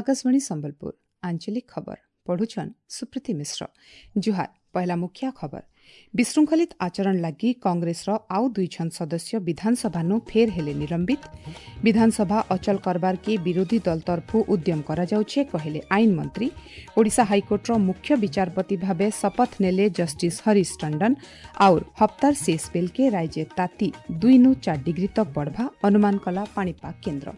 ଆକାଶବାଣୀ ସମ୍ବଲପୁର, ଆଞ୍ଚଳିକ ଖବର ପଢୁଛନ୍ ସୁପ୍ରୀତି ମିଶ୍ର। ଜୁହାର। ପହିଲା ମୁଖ୍ୟ ଖବର। ବିଶୃଙ୍ଖଳିତ ଆଚରଣ ଲାଗି କଂଗ୍ରେସର ଆଉ ଦୁଇଜଣ ସଦସ୍ୟ ବିଧାନସଭାନୁ ଫେର୍ ହେଲେ ନିଲମ୍ବିତ। ବିଧାନସଭା ଅଚଳ କରବାର୍କେ ବିରୋଧୀ ଦଳ ତରଫୁ ଉଦ୍ୟମ କରାଯାଉଛେ, କହିଲେ ଆଇନ ମନ୍ତ୍ରୀ। ଓଡ଼ିଶା ହାଇକୋର୍ଟର ମୁଖ୍ୟ ବିଚାରପତି ଭାବେ ଶପଥ ନେଲେ ଜଷ୍ଟିସ୍ ହରିଶ ଟଣ୍ଡନ। ଆଉର ହପ୍ତାର ଶେଷ ବେଲକେ ରାଜ୍ୟ ତାତି 2 ନୁ 4 ଡିଗ୍ରୀ ତକ୍ ବଢ଼ବା ଅନୁମାନ କଲା ପାଣିପାଗ କେନ୍ଦ୍ର।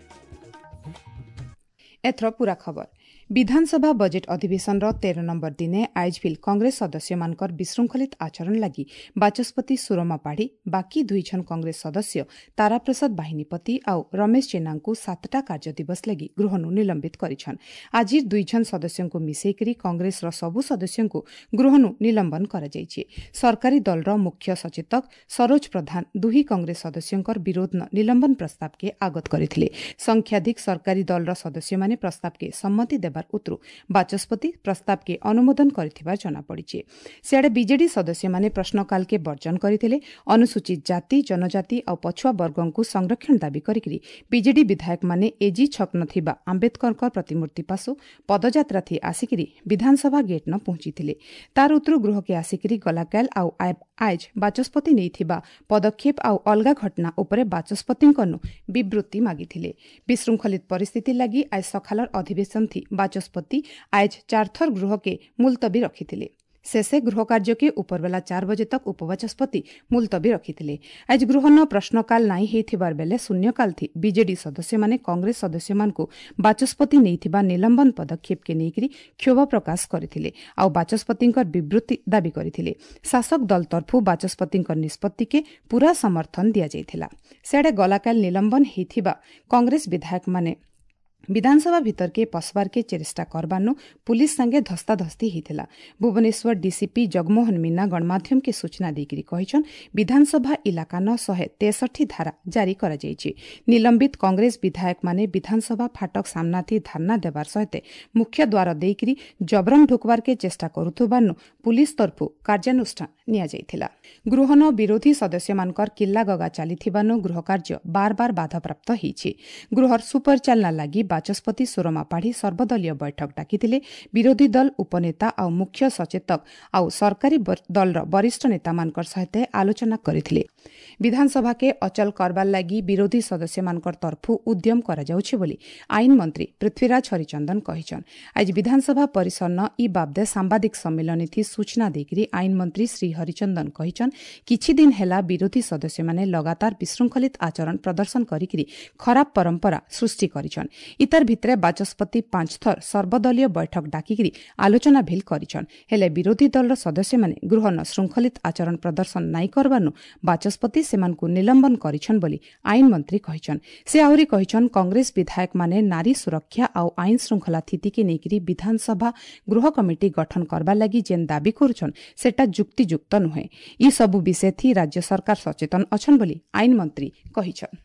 ଏଥର ପୂରା ଖବର। ବିଧାନସଭା ବଜେଟ୍ ଅଧିବେଶନର 13 ନମ୍ବର ଦିନେ ଆଏଜ୍ ଭିଲ୍ କଂଗ୍ରେସ ସଦସ୍ୟମାନଙ୍କର ବିଶୃଙ୍ଖଳିତ ଆଚରଣ ଲାଗି ବାଚସ୍ପତି ସୁରମା ପାଢ଼ୀ ବାକି ଦୁଇଜଣ କଂଗ୍ରେସ ସଦସ୍ୟ ତାରାପ୍ରସାଦ ବାହିନୀପତି ଆଉ ରମେଶ ଜେନାଙ୍କୁ 7ଟା କାର୍ଯ୍ୟଦିବସ ଲାଗି ଗୃହନୁ ନିଲମ୍ବିତ କରିଛନ୍। ଆଜିର ଦୁଇଜଣ ସଦସ୍ୟଙ୍କୁ ମିଶେଇକରି କଂଗ୍ରେସର ସବୁ ସଦସ୍ୟଙ୍କୁ ଗୃହନୁ ନିଲମ୍ବନ କରାଯାଇଛି। ସରକାରୀ ଦଳର ମୁଖ୍ୟ ସଚେତକ ସରୋଜ ପ୍ରଧାନ ଦୁହି କଂଗ୍ରେସ ସଦସ୍ୟଙ୍କର ବିରୋଧ ନିଲମ୍ବନ ପ୍ରସ୍ତାବକେ ଆଗତ କରିଥିଲେ। ସଂଖ୍ୟାଧିକ ସରକାରୀ ଦଳର ସଦସ୍ୟମାନେ ପ୍ରସ୍ତାବକେ ସମ୍ମତି ଦେବାର ଉତରୁ ବାଚସ୍ପତି ପ୍ରସ୍ତାବକେ ଅନୁମୋଦନ କରିଥିବା ଜଣାପଡ଼ିଛି। ସିଆଡ଼େ ବିଜେଡି ସଦସ୍ୟମାନେ ପ୍ରଶ୍ନକାଲକେ ବର୍ଜନ କରିଥିଲେ। ଅନୁସୂଚିତ ଜାତି, ଜନଜାତି ଆଉ ପଛୁଆ ବର୍ଗଙ୍କୁ ସଂରକ୍ଷଣ ଦାବି କରିକି ବିଜେଡି ବିଧାୟକମାନେ ଏଜି ଛକ ଥିବା ଆମ୍ବେଦକରଙ୍କ ପ୍ରତିମୂର୍ତ୍ତି ପାଶୁ ପଦଯାତ୍ରା ଥି ଆସିକିରି ବିଧାନସଭା ଗେଟ୍ ନ ପହଞ୍ଚିଥିଲେ। ତାର ଉତରୁ ଗୃହକେ ଆସିକିରି ଗଲାକାଲ ଆଉ ଆଏଜ୍ ବାଚସ୍ପତି ନେଇଥିବା ପଦକ୍ଷେପ ଆଉ ଅଲଗା ଘଟଣା ଉପରେ ବାଚସ୍ପତିଙ୍କନୁ ବିବୃତ୍ତି ମାଗିଥିଲେ। ବିଶୃଙ୍ଖଳିତ ପରିସ୍ଥିତି ଲାଗି ଆଜ ସକାଳର ଅଧିବେଶନ ଥି ବାଚସ୍ପତି ଆଏଜ୍ ଚାରଥର ଗୃହକେ ମୁଲତବୀ ରଖିଥିଲେ। ଶେଷେ ଗୃହ କାର୍ଯ୍ୟକେ ଉପରବେଲା 4 ବଜେ ତକ୍ ଉପବାଚସ୍ପତି ମୁଲତବୀ ରଖିଥିଲେ। ଆଜ ଗୃହନ ପ୍ରଶ୍ନକାଲ ନାଇଁ ହେଇଥିବାର ବେଲେ ଶୂନ୍ୟକାଲ ଥି ବିଜେଡି ସଦସ୍ୟମାନେ କଂଗ୍ରେସ ସଦସ୍ୟମାନଙ୍କୁ ବାଚସ୍ପତି ନେଇଥିବା ନିଲମ୍ବନ ପଦକ୍ଷେପକେ ନେଇକରି କ୍ଷୋଭ ପ୍ରକାଶ କରିଥିଲେ ଆଉ ବାଚସ୍ପତିଙ୍କର ବିବୃତ୍ତି ଦାବି କରିଥିଲେ। ଶାସକ ଦଳ ତରଫୁ ବାଚସ୍ପତିଙ୍କ ନିଷ୍ପତ୍ତିକେ ପୂରା ସମର୍ଥନ ଦିଆଯାଇଥିଲା। ସିଆଡ଼େ ଗଲାକାଲ ନିଲମ୍ବନ ହେଇଥିବା କଂଗ୍ରେସ ବିଧାୟକମାନେ ବିଧାନସଭା ଭିତରକେ ପଶବାର୍କେ ଚେଷ୍ଟା କରବାନୁ ପୁଲିସ ସାଙ୍ଗେ ଧସ୍ତାଧସ୍ତି ହେଇଥିଲା। ଭୁବନେଶ୍ୱର ଡିସିପି ଜଗମୋହନ ମୀନା ଗଣମାଧ୍ୟମକେ ସୂଚନା ଦେଇକରି କହିଛନ୍, ବିଧାନସଭା ଇଲାକାନ 163 ଧାରା ଜାରି କରାଯାଇଛି। ନିଲମ୍ବିତ କଂଗ୍ରେସ ବିଧାୟକମାନେ ବିଧାନସଭା ଫାଟକ ସାମ୍ନାଥି ଧାରଣା ଦେବାର ସହିତ ମୁଖ୍ୟ ଦ୍ୱାର ଦେଇକରି ଜବରନ ଢୁକବାର୍କେ ଚେଷ୍ଟା କରୁଥିବାରୁ ପୁଲିସ ତରଫୁ କାର୍ଯ୍ୟାନୁଷ୍ଠାନ ନିଆଯାଇଥିଲା। ଗୃହନ ବିରୋଧୀ ସଦସ୍ୟମାନଙ୍କର କିଲ୍ଲାଗଗା ଚାଲିଥିବାରୁ ଗୃହ କାର୍ଯ୍ୟ ବାର ବାର ବାଧାପ୍ରାପ୍ତ ହୋଇଛି। ଗୃହର ସୁପରିଚାଳନା ଲାଗି ବାଚସ୍ପତି ସୁରମା ପାଢ଼ୀ ସର୍ବଦଳୀୟ ବୈଠକ ଡାକିଥିଲେ। ବିରୋଧୀ ଦଳ ଉପନେତା ଆଉ ମୁଖ୍ୟ ସଚେତକ ଆଉ ସରକାରୀ ଦଳର ବରିଷ୍ଠ ନେତାମାନଙ୍କର ସହିତ ଆଲୋଚନା କରିଥିଲେ। ବିଧାନସଭାକେ ଅଚଳ କରବାର ଲାଗି ବିରୋଧୀ ସଦସ୍ୟମାନଙ୍କର ତରଫୁ ଉଦ୍ୟମ କରାଯାଉଛି ବୋଲି ଆଇନ ମନ୍ତ୍ରୀ ପୃଥ୍ୱୀରାଜ ହରିଚନ୍ଦନ କହିଛନ୍। ଆଜି ବିଧାନସଭା ପରିସରନ ଇ ବାବଦେ ସାମ୍ବାଦିକ ସମ୍ମିଳନୀ ସୂଚନା ଦେଇକରି ଆଇନ ମନ୍ତ୍ରୀ ଶ୍ରୀ ହରିଚନ୍ଦନ କହିଛନ୍, କିଛି ଦିନ ହେଲା ବିରୋଧୀ ସଦସ୍ୟମାନେ ଲଗାତାର ବିଶୃଙ୍ଖଳିତ ଆଚରଣ ପ୍ରଦର୍ଶନ କରିକି ଖରାପ ପରମ୍ପରା ସୃଷ୍ଟି କରିଛନ୍। ଇତାର ଭିତରେ ବାଚସ୍ପତି ପାଞ୍ଚ ଥର ସର୍ବଦଳୀୟ ବୈଠକ ଡାକିକିରି ଆଲୋଚନା ଭିଲ୍ କରିଛନ୍। ହେଲେ ବିରୋଧୀ ଦଳର ସଦସ୍ୟମାନେ ଗୃହନ ଶୃଙ୍ଖଳିତ ଆଚରଣ ପ୍ରଦର୍ଶନ ନାଇଁ କରବାନୁ ବାଚସ୍ପତି ସେମାନଙ୍କୁ ନିଲମ୍ବନ କରିଛନ୍ ବୋଲି ଆଇନ ମନ୍ତ୍ରୀ କହିଛନ୍। ସେ ଆହୁରି କହିଛନ୍, କଂଗ୍ରେସ ବିଧାୟକମାନେ ନାରୀ ସୁରକ୍ଷା ଆଉ ଆଇନ ଶୃଙ୍ଖଳା ସ୍ଥିତିକେ ନେଇକରି ବିଧାନସଭା ଗୃହ କମିଟି ଗଠନ କରବା ଲାଗି ଯେନ୍ ଦାବି କରୁଛନ୍, ସେଟା ଯୁକ୍ତିଯୁକ୍ତ ନୁହେଁ। ଇ ସବୁ ବିଷୟ ରାଜ୍ୟ ସରକାର ସଚେତନ ଅଛନ୍ ବୋଲି ଆଇନ ମନ୍ତ୍ରୀ କହିଛନ୍।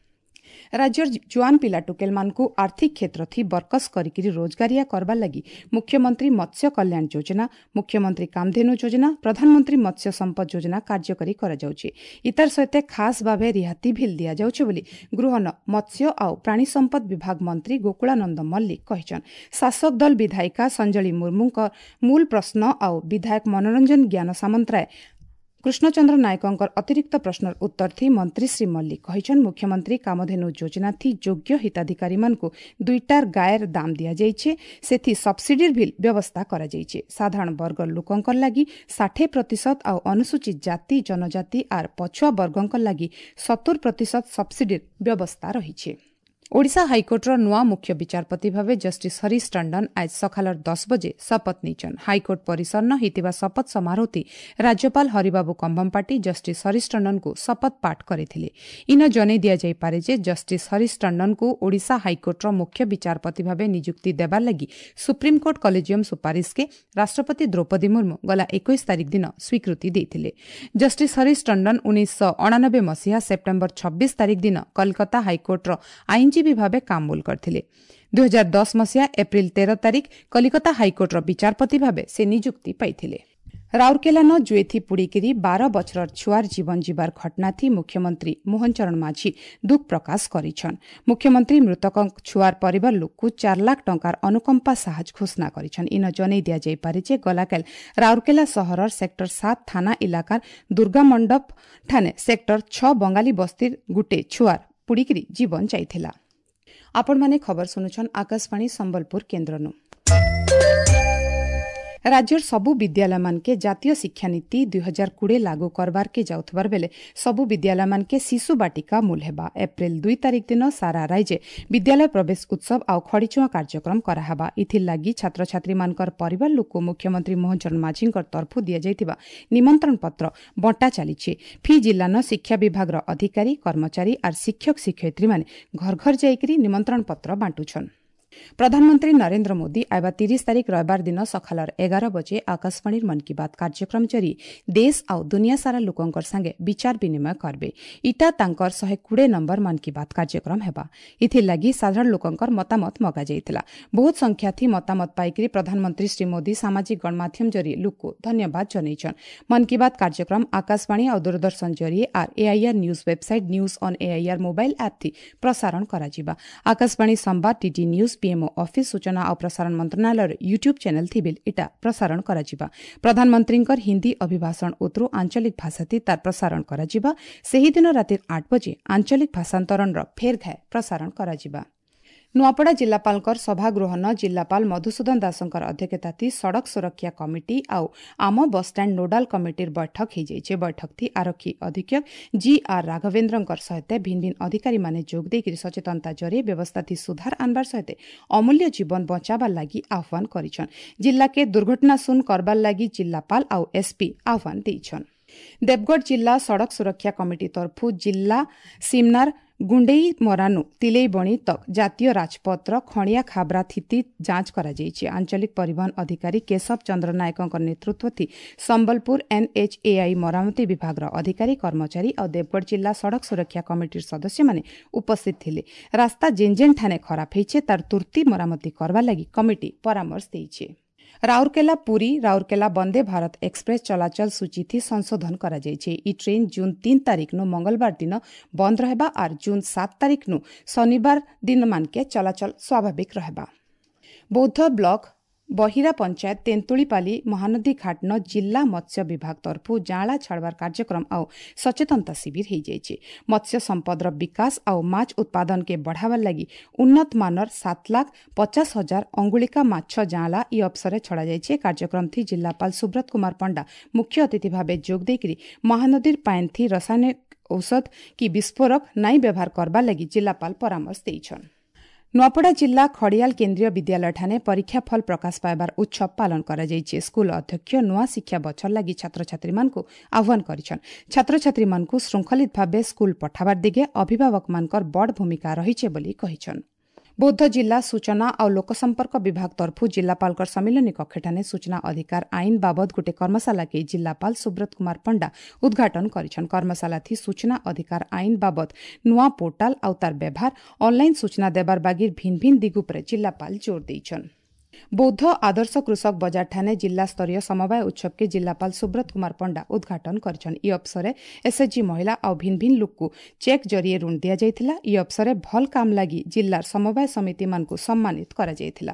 ରାଜ୍ୟର ଜୁଆନ ପିଲା ଟୁକେଲମାନଙ୍କୁ ଆର୍ଥିକ କ୍ଷେତ୍ର ଥି ବରକସ କରିକିରି ରୋଜଗାରିଆ କରବାର ଲାଗି ମୁଖ୍ୟମନ୍ତ୍ରୀ ମତ୍ସ୍ୟ କଲ୍ୟାଣ ଯୋଜନା, ମୁଖ୍ୟମନ୍ତ୍ରୀ କାମଧେନୁ ଯୋଜନା, ପ୍ରଧାନମନ୍ତ୍ରୀ ମତ୍ସ୍ୟ ସମ୍ପଦ ଯୋଜନା କାର୍ଯ୍ୟକାରୀ କରାଯାଉଛି। ଇତାର ସହିତ ଖାସ୍ ଭାବେ ରିହାତି ଭିଲ୍ ଦିଆଯାଉଛି ବୋଲି ଗୃହନ ମତ୍ସ୍ୟ ଆଉ ପ୍ରାଣୀ ସମ୍ପଦ ବିଭାଗ ମନ୍ତ୍ରୀ ଗୋକୁଳାନନ୍ଦ ମଲ୍ଲିକ କହିଛନ୍। ଶାସକ ଦଳ ବିଧାୟିକା ସଞ୍ଜଳି ମୁର୍ମୁଙ୍କ ମୂଳ ପ୍ରଶ୍ନ ଆଉ ବିଧାୟକ ମନୋରଞ୍ଜନ ଜ୍ଞାନ ସାମନ୍ତରାୟ, କୃଷ୍ଣଚନ୍ଦ୍ର ନାୟକଙ୍କର ଅତିରିକ୍ତ ପ୍ରଶ୍ନର ଉତ୍ତର ଥି ମନ୍ତ୍ରୀ ଶ୍ରୀ ମଲ୍ଲିକ କହିଛନ୍, ମୁଖ୍ୟମନ୍ତ୍ରୀ କାମଧେନୁ ଯୋଜନା ଥି ଯୋଗ୍ୟ ହିତାଧିକାରୀମାନଙ୍କୁ ଦୁଇଟାର ଗାଏର ଦାମ ଦିଆଯାଇଛି। ସେଥି ସବସିଡିର ଭିଲ୍ ବ୍ୟବସ୍ଥା କରାଯାଇଛି। ସାଧାରଣ ବର୍ଗର ଲୋକଙ୍କର ଲାଗି 60% ଆଉ ଅନୁସୂଚିତ ଜାତି, ଜନଜାତି ଆର୍ ପଛୁଆ ବର୍ଗଙ୍କ ଲାଗି 70% ସବସିଡିର ବ୍ୟବସ୍ଥା ରହିଛି। ଓଡ଼ିଶା ହାଇକୋର୍ଟର ନୂଆ ମୁଖ୍ୟ ବିଚାରପତି ଭାବେ ଜଷ୍ଟିସ୍ ହରିଶ ଟଣ୍ଡନ ଆଜ ସକାଳର 10 ବଜେ ଶପଥ ନେଇଛନ୍। ହାଇକୋର୍ଟ ପରିସରନ ହୋଇଥିବା ଶପଥ ସମାରୋହଟି ରାଜ୍ୟପାଳ ହରିବାବୁ କମ୍ଭମପାଟି ଜଷ୍ଟିସ୍ ହରିଶ ଟଣ୍ଡନଙ୍କୁ ଶପଥ ପାଠ କରିଥିଲେ। ଇନ ଜଣାଇ ଦିଆଯାଇପାରେ ଯେ ଜଷ୍ଟିସ୍ ହରିଶ ଟଣ୍ଡନଙ୍କୁ ଓଡ଼ିଶା ହାଇକୋର୍ଟର ମୁଖ୍ୟ ବିଚାରପତି ଭାବେ ନିଯୁକ୍ତି ଦେବାର ଲାଗି ସୁପ୍ରିମକୋର୍ଟ କଲେଜିୟମ ସୁପାରିଶକେ ରାଷ୍ଟ୍ରପତି ଦ୍ରୌପଦୀ ମୁର୍ମୁ ଗଲା 21 ତାରିଖ ଦିନ ସ୍ୱୀକୃତି ଦେଇଥିଲେ। ଜଷ୍ଟିସ୍ ହରିଶ ଟଣ୍ଡନ 1989 ମସିହା ସେପ୍ଟେମ୍ବର 26 ତାରିଖ ଦିନ କଲକାତା ହାଇକୋର୍ଟର ଆଇନଜୀବୀ ଭାବେ କାମବୁଲ କରିଥିଲେ। 2010 ମସିହା ଏପ୍ରିଲ 13 ତାରିଖ କଲିକତା ହାଇକୋର୍ଟର ବିଚାରପତି ଭାବେ ସେ ନିଯୁକ୍ତି ପାଇଥିଲେ। ରାଉରକେଲାନ ଜୁଏଥି ପୁଡ଼ିକିରି 12 ବଛରର ଛୁଆର ଜୀବନ ଯିବାର ଘଟଣାଥି ମୁଖ୍ୟମନ୍ତ୍ରୀ ମୋହନ ଚରଣ ମାଝୀ ଦୁଃଖ ପ୍ରକାଶ କରିଛନ୍। ମୁଖ୍ୟମନ୍ତ୍ରୀ ମୃତକ ଛୁଆର ପରିବାର ଲୋକକୁ 4 ଲାଖ ଟଙ୍କାର ଅନୁକମ୍ପା ସାହାଯ୍ୟ ଘୋଷଣା କରିଛନ୍। ଇନ ଜନେଇ ଦିଆଯାଇପାରେ ଯେ ଗଲାକାଲ ରାଉରକେଲା ସହରର ସେକ୍ଟର 7 ଥାନା ଇଲାକାର ଦୁର୍ଗା ମଣ୍ଡପ ଠାନେ ସେକ୍ଟର 6 ବଙ୍ଗାଳୀ ବସ୍ତିର ଗୁଟେ ଛୁଆର ପୁଡ଼ିକିରି ଜୀବନ ଯାଇଥିଲା। ଆପଣମାନେ ଖବର ଶୁଣୁଛନ୍ ଆକାଶବାଣୀ ସମ୍ବଲପୁର କେନ୍ଦ୍ରନୁ। ରାଜ୍ୟର ସବୁ ବିଦ୍ୟାଳୟମାନକେ ଜାତୀୟ ଶିକ୍ଷାନୀତି 2020 ଲାଗୁ କରବାରକେ ଯାଉଥିବାର ବେଲେ ସବୁ ବିଦ୍ୟାଳୟମାନକେ ଶିଶୁ ବାଟିକା ମୂଲ ହେବା। ଏପ୍ରିଲ 2 ତାରିଖ ଦିନ ସାରା ରାଜ୍ୟ ବିଦ୍ୟାଳୟ ପ୍ରବେଶ ଉତ୍ସବ ଆଉ ଖଡ଼ିଚୁଆଁ କାର୍ଯ୍ୟକ୍ରମ କରାହେବା। ଇଥିର୍ ଲାଗି ଛାତ୍ରଛାତ୍ରୀମାନଙ୍କର ପରିବାର ଲୋକକୁ ମୁଖ୍ୟମନ୍ତ୍ରୀ ମୋହନ ଚରଣ ମାଝୀଙ୍କର ତରଫରୁ ଦିଆଯାଇଥିବା ନିମନ୍ତ୍ରଣ ପତ୍ର ବଣ୍ଟା ଚାଲିଛି। ଫି ଜିଲ୍ଲାନ ଶିକ୍ଷା ବିଭାଗର ଅଧିକାରୀ, କର୍ମଚାରୀ ଆର୍ ଶିକ୍ଷକ ଶିକ୍ଷୟିତ୍ରୀମାନେ ଘର ଘର ଯାଇକରି ନିମନ୍ତ୍ରଣ ପତ୍ର ବାଣ୍ଟୁଛନ୍। ପ୍ରଧାନମନ୍ତ୍ରୀ ନରେନ୍ଦ୍ର ମୋଦି ଆଇବା 30 ତାରିଖ ରବିବାର ଦିନ ସକାଳର 11 ବଜେ ଆକାଶବାଣୀର ମନ୍ କି ବାତ୍ କାର୍ଯ୍ୟକ୍ରମ ଜରିଏ ଦେଶ ଆଉ ଦୁନିଆ ସାରା ଲୋକଙ୍କର ସାଙ୍ଗେ ବିଚାର ବିନିମୟ କରିବେ। ଇଟା ତାଙ୍କର 120 ନମ୍ବର ମନ୍ କି ବାତ୍ କାର୍ଯ୍ୟକ୍ରମ ହେବା। ଏଥିର୍ଲାଗି ସାଧାରଣ ଲୋକଙ୍କର ମତାମତ ମଗାଯାଇଥିଲା। ବହୁତ ସଂଖ୍ୟାଥି ମତାମତ ପାଇକରି ପ୍ରଧାନମନ୍ତ୍ରୀ ଶ୍ରୀ ମୋଦି ସାମାଜିକ ଗଣମାଧ୍ୟମ ଜରିଏ ଲୋକକୁ ଧନ୍ୟବାଦ ଜଣାଇଛନ୍। ମନ୍ କି ବାତ୍ କାର୍ଯ୍ୟକ୍ରମ ଆକାଶବାଣୀ ଆଉ ଦୂରଦର୍ଶନ ଜରିଏ ଆର୍ AIR news website, news on AIR mobile app ଥି ପ୍ରସାରଣ କରାଯିବା। ଆକାଶବାଣୀ ସମ୍ବାଦ, ଡିଡି ନ୍ୟୁଜ୍, ପିଏମ୍ଓ ଅଫିସ୍, ସୂଚନା ଆଉ ପ୍ରସାରଣ ମନ୍ତ୍ରଣାଳୟର ୟୁଟ୍ୟୁବ୍ ଚ୍ୟାନେଲ୍ ଥିବିଲ୍ ଇଟା ପ୍ରସାରଣ କରାଯିବା। ପ୍ରଧାନମନ୍ତ୍ରୀଙ୍କର ହିନ୍ଦୀ ଅଭିଭାଷଣ ଉତରୁ ଆଞ୍ଚଳିକ ଭାଷାଥି ତାର ପ୍ରସାରଣ କରାଯିବା। ସେହିଦିନ ରାତିର 8 ବଜେ ଆଞ୍ଚଳିକ ଭାଷାନ୍ତରଣର ଫେର୍ ଘାଏ ପ୍ରସାରଣ କରାଯିବା। ନୂଆପଡ଼ା ଜିଲ୍ଲାପାଳଙ୍କର ସଭାଗୃହନ ଜିଲ୍ଲାପାଳ ମଧୁସୂଦନ ଦାସଙ୍କର ଅଧ୍ୟକ୍ଷତାଥି ସଡ଼କ ସୁରକ୍ଷା କମିଟି ଆଉ ଆମ ବସ୍ଷ୍ଟାଣ୍ଡ ନୋଡାଲ କମିଟିର ବୈଠକ ହୋଇଯାଇଛି। ବୈଠକଥି ଆରକ୍ଷୀ ଅଧୀକ୍ଷକ ଜି ଆର୍ ରାଘବେନ୍ଦ୍ରଙ୍କର ସହିତ ଭିନ୍ନ ଭିନ୍ନ ଅଧିକାରୀମାନେ ଯୋଗ ଦେଇକରି ସଚେତନତା ଜରିଏ ବ୍ୟବସ୍ଥାଥି ସୁଧାର ଆନବାର ସହିତ ଅମୂଲ୍ୟ ଜୀବନ ବଞ୍ଚାବାର ଲାଗି ଆହ୍ୱାନ କରିଛନ୍। ଜିଲ୍ଲାକେ ଦୁର୍ଘଟଣା ଶୂନ କରବାର ଲାଗି ଜିଲ୍ଲାପାଳ ଆଉ ଏସ୍ପି ଆହ୍ୱାନ ଦେଇଛନ୍। ଦେବଗଡ଼ ଜିଲ୍ଲା ସଡ଼କ ସୁରକ୍ଷା କମିଟି ତରଫରୁ ଜିଲ୍ଲା ସିମନାର ଗୁଣ୍ଡେଇ ମରାନୁ ତିଲେଇବଣି ତକ୍ ଜାତୀୟ ରାଜପଥର ଖଣିଆ ଖାବରା ଥିତି ଯାଞ୍ଚ କରାଯାଇଛି। ଆଞ୍ଚଳିକ ପରିବହନ ଅଧିକାରୀ କେଶବ ଚନ୍ଦ୍ର ନାୟକଙ୍କ ନେତୃତ୍ୱ ସମ୍ବଲପୁର ଏନ୍ଏଚ୍ଏଆଇ ମରାମତି ବିଭାଗର ଅଧିକାରୀ, କର୍ମଚାରୀ ଆଉ ଦେବଗଡ଼ ଜିଲ୍ଲା ସଡ଼କ ସୁରକ୍ଷା କମିଟିର ସଦସ୍ୟମାନେ ଉପସ୍ଥିତ ଥିଲେ। ରାସ୍ତା ଯେନ୍ ଯେନ୍ ଠାନେ ଖରାପ ହେଇଛେ, ତାର ତୁର୍ତି ମରାମତି କରବା ଲାଗି କମିଟି ପରାମର୍ଶ ଦେଇছে। ରାଉରକେଲା ପୁରୀ ରାଉରକେଲା ବନ୍ଦେ ଭାରତ ଏକ୍ସପ୍ରେସ୍ ଚଳାଚଳ ସୂଚୀଥି ସଂଶୋଧନ କରାଯାଇଛି। ଇ ଟ୍ରେନ୍ ଜୁନ୍ 3 ତାରିଖନୁ ମଙ୍ଗଳବାର ଦିନ ବନ୍ଦ ରହିବା ଆର୍ ଜୁନ୍ 7 ତାରିଖନୁ ଶନିବାର ଦିନମାନକେ ଚଳାଚଳ ସ୍ୱାଭାବିକ ରହିବା। ବୌଦ୍ଧ ବ୍ଲକ ବହିରା ପଞ୍ଚାୟତ ତେନ୍ତୁଳିପାଲି ମହାନଦୀ ଘାଟନ ଜିଲ୍ଲା ମତ୍ସ୍ୟ ବିଭାଗ ତରଫରୁ ଜାଁଳା ଛାଡ଼ବାର କାର୍ଯ୍ୟକ୍ରମ ଆଉ ସଚେତନତା ଶିବିର ହୋଇଯାଇଛି। ମତ୍ସ୍ୟ ସମ୍ପଦର ବିକାଶ ଆଉ ମାଛ ଉତ୍ପାଦନକେ ବଢ଼ାବାର ଲାଗି ଉନ୍ନତ ମାନର 7,50,000 ଅଙ୍ଗୁଳିକା ମାଛ ଜାଁଳା ଇ ଅବସରରେ ଛଡ଼ାଯାଇଛି। କାର୍ଯ୍ୟକ୍ରମଥି ଜିଲ୍ଲାପାଳ ସୁବ୍ରତ କୁମାର ପଣ୍ଡା ମୁଖ୍ୟ ଅତିଥି ଭାବେ ଯୋଗ ଦେଇକରି ମହାନଦୀର ପାଏନ୍ଥି ରାସାୟନିକ ଔଷଧ କି ବିସ୍ଫୋରକ ନାଇଁ ବ୍ୟବହାର କରବାର ଲାଗି ଜିଲ୍ଲାପାଳ ପରାମର୍ଶ ଦେଇଛନ୍। ନୂଆପଡ଼ା ଜିଲ୍ଲା ଖଡ଼ିଆଲ କେନ୍ଦ୍ରୀୟ ବିଦ୍ୟାଳୟଠାରେ ପରୀକ୍ଷା ଫଳ ପ୍ରକାଶ ପାଇବାର ଉତ୍ସବ ପାଳନ କରାଯାଇଛି। ସ୍କୁଲ ଅଧ୍ୟକ୍ଷ ନୂଆ ଶିକ୍ଷା ବଛର ଲାଗି ଛାତ୍ରଛାତ୍ରୀମାନଙ୍କୁ ଆହ୍ୱାନ କରିଛନ୍। ଛାତ୍ରଛାତ୍ରୀମାନଙ୍କୁ ଶୃଙ୍ଖଳିତ ଭାବେ ସ୍କୁଲ ପଠାବାର ଦିଗେ ଅଭିଭାବକମାନଙ୍କର ବଡ଼ ଭୂମିକା ରହିଛି ବୋଲି କହିଛନ୍। ବୌଦ୍ଧ ଜିଲ୍ଲା ସୂଚନା ଆଉ ଲୋକସମ୍ପର୍କ ବିଭାଗ ତରଫରୁ ଜିଲ୍ଲାପାଳଙ୍କର ସମ୍ମିଳନୀ କକ୍ଷଠାରେ ସୂଚନା ଅଧିକାର ଆଇନ ବାବଦ ଗୋଟେ କର୍ମଶାଳାକେ ଜିଲ୍ଲାପାଳ ସୁବ୍ରତ କୁମାର ପଣ୍ଡା ଉଦ୍ଘାଟନ କରିଛନ୍। କର୍ମଶାଳାଥି ସୂଚନା ଅଧିକାର ଆଇନ ବାବଦ ନୂଆ ପୋର୍ଟାଲ ଆଉ ତାର ବ୍ୟବହାର, ଅନଲାଇନ ସୂଚନା ଦେବାର ବାଗିର ଭିନ୍ନ ଭିନ୍ନ ଦିଗ ଉପରେ ଜିଲ୍ଲାପାଳ ଜୋର ଦେଇଛନ୍। ବୌଦ୍ଧ ଆଦର୍ଶ କୃଷକ ବଜାରଠାରେ ଜିଲ୍ଲାସ୍ତରୀୟ ସମବାୟ ଉତ୍ସବକେ ଜିଲ୍ଲାପାଳ ସୁବ୍ରତ କୁମାର ପଣ୍ଡା ଉଦ୍ଘାଟନ କରିଛନ୍। ଇ ଅବସରରେ ଏସ୍ଏଚ୍ଜି ମହିଳା ଆଉ ଭିନ୍ନ ଭିନ୍ନ ଲୋକକୁ ଚେକ୍ ଜରିଏ ଋଣ ଦିଆଯାଇଥିଲା। ଇ ଅବସରରେ ଭଲ କାମ ଲାଗି ଜିଲ୍ଲାର ସମବାୟ ସମିତିମାନଙ୍କୁ ସମ୍ମାନିତ କରାଯାଇଥିଲା।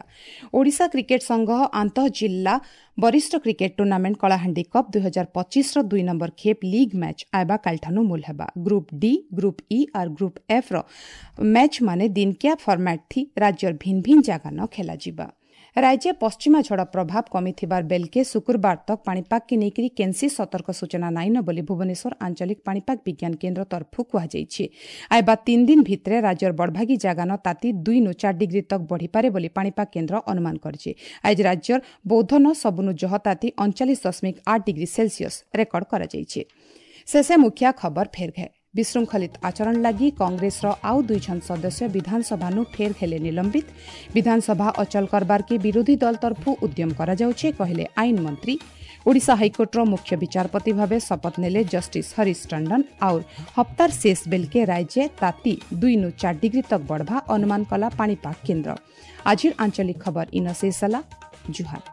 ଓଡ଼ିଶା କ୍ରିକେଟ ସଂଘ ଆନ୍ତଃ ଜିଲ୍ଲା ବରିଷ୍ଠ କ୍ରିକେଟ ଟୁର୍ଣ୍ଣାମେଣ୍ଟ କଳାହାଣ୍ଡି କପ୍ 2025ର 2 ନମ୍ବର ଖେପ୍ ଲିଗ୍ ମ୍ୟାଚ୍ ଆଇବା କାଲିଠାନୁ ମୂଲ ହେବା। ଗ୍ରୁପ୍ ଡି, ଗ୍ରୁପ୍ ଇ ଆର୍ ଗ୍ରୁପ୍ ଏଫ୍ ର ମ୍ୟାଚ୍ ମାନେ ଦିନକିଆ ଫର୍ମାଟ୍ ଥି ରାଜ୍ୟର ଭିନ୍ନ ଭିନ୍ନ ଜାଗାନ ଖେଲାଯିବା। ରାଜ୍ୟ ପଶ୍ଚିମା ଝଡ଼ ପ୍ରଭାବ କମିଥିବାର ବେଲକେ ଶୁକ୍ରବାର ତକ୍ ପାଣିପାଗକେ ନେଇକରି କେନ୍ସି ସତର୍କ ସୂଚନା ନାଇନ ବୋଲି ଭୁବନେଶ୍ୱର ଆଞ୍ଚଳିକ ପାଣିପାଗ ବିଜ୍ଞାନ କେନ୍ଦ୍ର ତରଫରୁ କୁହାଯାଇଛି। ଆଇବା 3 ଦିନ ଭିତରେ ରାଜ୍ୟର ବଡ଼ଭାଗୀ ଜାଗାନ ତାତି 2ନୁ 4 ଡିଗ୍ରୀ ତକ୍ ବଢ଼ିପାରେ ବୋଲି ପାଣିପାଗ କେନ୍ଦ୍ର ଅନୁମାନ କରିଛି। ଆଜି ରାଜ୍ୟର ବୌଦ୍ଧନ ସବୁନୁ ଜହ ତାତି 39.8 ଡିଗ୍ରୀ ସେଲସିୟସ୍ ରେକର୍ଡ କରାଯାଇଛି। ଶେଷେ ମୁଖିଆ ଖବର ଫେର୍ ଘେ। ବିଶୃଙ୍ଖଳିତ ଆଚରଣ ଲାଗି କଂଗ୍ରେସର ଆଉ 2 ଜଣ ସଦସ୍ୟ ବିଧାନସଭାନୁ ଫେର୍ ହେଲେ ନିଲମ୍ବିତ। ବିଧାନସଭା ଅଚଳ କରବାରକେ ବିରୋଧୀ ଦଳ ତରଫରୁ ଉଦ୍ୟମ କରାଯାଉଛି, କହିଲେ ଆଇନ ମନ୍ତ୍ରୀ। ଓଡ଼ିଶା ହାଇକୋର୍ଟର ମୁଖ୍ୟ ବିଚାରପତି ଭାବେ ଶପଥ ନେଲେ ଜଷ୍ଟିସ୍ ହରିଶ ଟଣ୍ଡନ। ଆଉ ହପ୍ତାର ଶେଷ ବେଲକେ ରାଜ୍ୟ ତାତି 2ନୁ 4 ଡିଗ୍ରୀ ତକ୍ ବଢ଼ବା ଅନୁମାନ କଲା ପାଣିପାଗ କେନ୍ଦ୍ର। ଆଜିର ଆଞ୍ଚଳିକ ଖବର ଇନ ଶେଷ ହେଲା। ଜୁହାର।